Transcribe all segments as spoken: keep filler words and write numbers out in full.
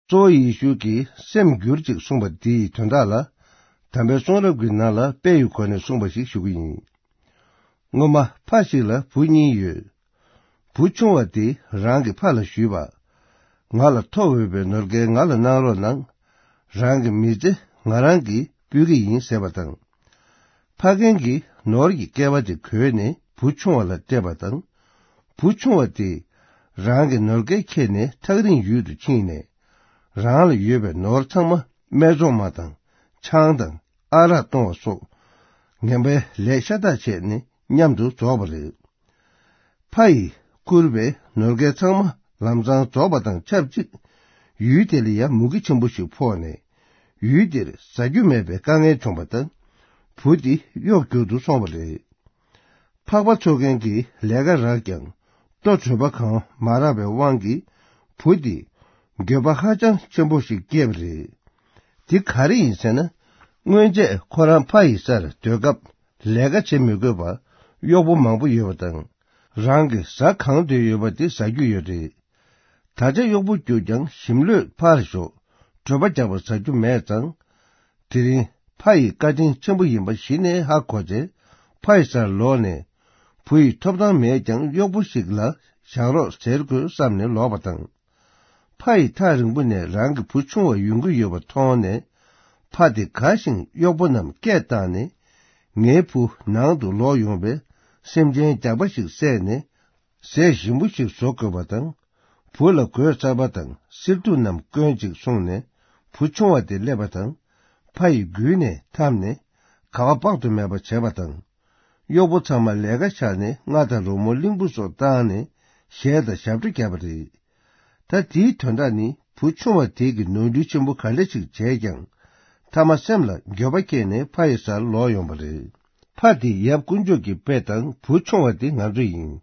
གཙོ་བོ་ཡེ་ཤུ་གིས་སེམས་འགྱུར་ཅིག་གསུངས་པ་འདིའི་དོན་དག་ལ། དམ་པའི་གསུང་རབ་ཀྱི་ནང་ལ་དཔེ་ཡི་སྒོ་ནས་གསུངས་པ་ཞིག་ཞུ་གི་ཡིན། སྔོན་མ་ཕ་ཞིག་ལ་བུ་གཉིས་ཡོད། བུ་ཆུང་བ་དེས་རང་གི་ཕ་ལ་ཞུས་པ། ང་ལ་ཐོབ་འོས་པའི་ནོར་སྐལ་ང་ལ་གནང་རོགས་གནང་། རང་གི་མི་ཚེ་ང་རང་གིས་སྤུད་ཀྱི་ཡིན་ཟེར་བ་དང་། ཕ་རྒན་གྱིས་ནོར་གྱི་སྐལ་བ་དེ་གོས་ནས་བུ་ཆུང་བ་ལ་སྤྲད་པ་དང་། བུ་ཆུང་བ་དེས་རང་གི་ནོར་སྐལ་ཁྱེར་ནས་ཐག་རིང་ཡུལ་དུ་ཕྱིན་ནས། རང་ལ་ཡོད་པའི་ནོར་ཚང་མ་སྨད་འཚོང་མ་དང་ཆང་དང་ཨ་རག་གཏོང་བ་སོགས་ངན་པའི་ལས་ཤ་སྟག་བྱས་ནས་མཉམ་དུ་རྫོགས་པ་རེད། ཕ་ཡིས་བསྐུར་བའི་ནོར་སྐལ་ཚང་མ་ལམ་སང་རྫོགས་པ་དང་ཆབས་ཅིག་ཡུལ་དེ་ལ་ཡང་མུ་གེ་ཆེན་པོ་ཞིག་ཕོག་ནས། ཡུལ་དེར་ཟ་རྒྱུ་མེད་པའི་དཀའ་ངལ་བྱུང་བ་དང་། བུ་དེ་གཡོག་རྒྱུག་ཏུ་སོང་བ་རེད། ཕག་པ་འཚོ་མཁན་གྱིས་ལས་ཀ་རག་ཀྱང་ལྟོ་དྲོད་པ་གང་མ་རག་པའི་དབང་གིས་བུ་དེ་འགྱོད་པ་ཧ་ཅང་ཆེན་པོ་ཞིག་སྐྱེས་པ་རེད། དེ་ག་རེ་ཡིན་ཟེར་ན། སྔོན་ཆད་ཁོ་རང་ཕ་ཡི་སར་སྡོད་སྐབས་ལས་ཀ་བྱེད་མི་དགོས་པར་གཡོག་པོ་མང་པོ་ཡོད་པ་དང་། རང་གི་ཟ་གང་འདོད་ཡོད་པ་དེ་ཟ་རྒྱུ་ཡོད་རེད། ད་ཆ་གཡོག་པོ་རྒྱུག་ཀྱང་ཞིམ་ལྷོད་ཕར་ཞོག་གྲོད་པ་རྒྱགས་པ་ཟ་རྒྱུ་མེད་ཙང་། དེ་རིང་ཕ་ཡི་བཀའ་དྲིན་ཆེན་པོ་ཡིན་པ་གཞི་ནས་ཧ་གོ་ཚེ། ཕ་ཡི་སར་ལོག་ནས་བུ་ཡི་ཐོབ་ཐང་མེད་ཀྱང་གཡོག་པོ་ཞིག་ལ་བཞག་རོགས་ཟེར་དགོས་བསམ་ནས་ལོག་པ་དང་། ཕ་ཡིས་ཐག་རིང་པོ་ནས་རང་གི་བུ་ཆུང་བ་ཡོང་གི་ཡོད་པ་མཐོང་ནས། ཕ་དེ་དགའ་ཞིང་གཡོག་པོ་རྣམས་སྐད་བཏང་ནས། ངའི་བུ་ནང་དུ་ལོག་ཡོང་བས་སེམས་ཅན་རྒྱགས་པ་ཞིག་བསད་ནས་ཟས་ཞིམ་པོ་ཞིག་བཟོ་དགོས་པ་དང་། བུ་ལ་གོས་གསར་པ་དང་བསིལ་ཐུག་རྣམས་བསྐོན་ཅིག་གསུངས་ནས། བུ་ཆུང་བ་དེ་སླེབས་པ་དང་། ཕ་ཡི་མགུལ་ནས་འཐམས་ནས་ག་བ་དཔག་ཏུ་མེད་པ་བྱས་པ་དང་། གཡོག་པོ་ཚང་མ་ལས་ཀ་བཞག་ནས་རྔ་དང་རོལ་མོ་གླིང་བུ་སོགས་བཏང་ནས་གཞས་དང་ཞབས་བྲོ་བརྒྱབ་པ་རེད། ད་དེའི་དོན་དག་ནི་བུ་ཆུང་བ་དེ་གིས་ནོར་འཁྲུལ་ཆེན་པོ་ག་འདྲ་ཞིག་བྱས་ཀྱང་། མཐའ་མ་སེམས་ལ་འགྱོད་པ་སྐྱེས་ནས་ཕ་ཡི་སར་ལོག་ཡོང་བ་རེད། ཕ་དེ་ཡབ་དཀོན་མཆོག་གི་དཔེ་དང་བུ་ཆུང་བ་དེ་ང་ཚོ་ཡིན།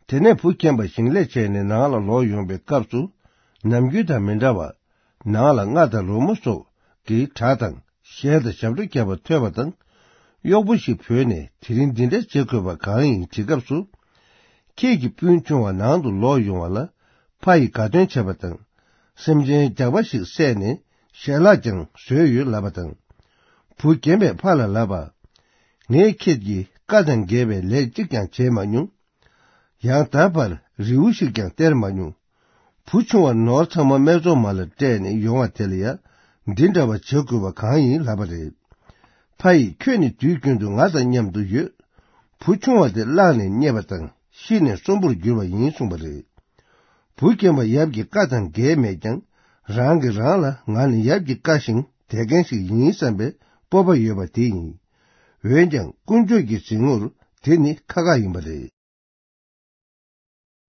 དེ་ནས་བུ་རྒན་པ་ཞིང་ལས་བྱས་ནས་ནང་ལ་ལོག་ཡོང་བའི་སྐབས་སུ། ནམ་རྒྱུན་དང་མི་འདྲ་བར། ནང་ལ་རྔ་དང་རོལ་མོ་སོགས་ཀྱི་སྒྲ་དང་གཞས་དང་ཞབས་བྲོ་བརྒྱབ་པ་ཐོས་པ་དང་། གཡོག་པོ་ཞིག་བོས་ནས་དེ་རིང་འདི་འདྲ་བྱེད་དགོས་པ་གང་ཡིན་དྲིས་སྐབས་སུ། ཁྱེད་ཀྱི་སྤུན་ཆུང་བ་ནང་དུ་ལོག་ཡོང་བ་ལ་ཕ་ཡིས་དགའ་སྟོན་བྱས་པ་དང་། སེམས་ཅན་རྒྱགས་པ་ཞིག་བསད་ནས་ཞལ་ལག་ཀྱང་བཟོས་ཡོད་ལབ་པ་དང་། བུ་རྒན་པས་ཕ་ལ་ལབ་པ། ངས་ཁྱེད་ཀྱི་བཀའ་དང་འགལ་བའི་ལས་གཅིག་ཀྱང་བྱས་མ་མྱོང་། ཡང་ད་བར་རི་བོ་ཞིག་ཀྱང་སྟེར་མ་མྱོང་། བུ་ཆུང་བ་ནོར་ཚང་མ་སྨད་འཚོང་མ་ལ་སྤྲད་ནས་ཡོང་བ་དེ་ལ་ཡང་འདི་འདྲ་བ་བྱེད་དགོས་པ་གང་ཡིན་ལབ་པ་རེད། ཕ་ཡིས་ཁྱོད་ནི་དུས་རྒྱུན་དུ་ང་དང་མཉམ་དུ་ཡོད། བུ་ཆུང་བ་དེ་བརླགས་ནས་རྙེད་པ་དང་ཤི་ནས་གསོན་པོར་གྱུར་བ་ཡིན་གསུངས་པ་རེད། བུ་རྒན་པ་ཡབ་ཀྱི་བཀའ་དང་འགལ་མེད་ཀྱང་རང་གིས་རང་ལ་ང་ནི་ཡབ་ཀྱི་བཀའ་བཞིན་དད་མཁན་ཞིག་ཡིན་བསམ་པའི་སྤོབས་པ་ཡོད་པ་དེ་ཡིན། འོན་ཀྱང་དཀོན་མཆོག་གི་གཟིགས་ངོར་དེ་ནི་ཁག་ཁག་ཡིན་པ་རེད།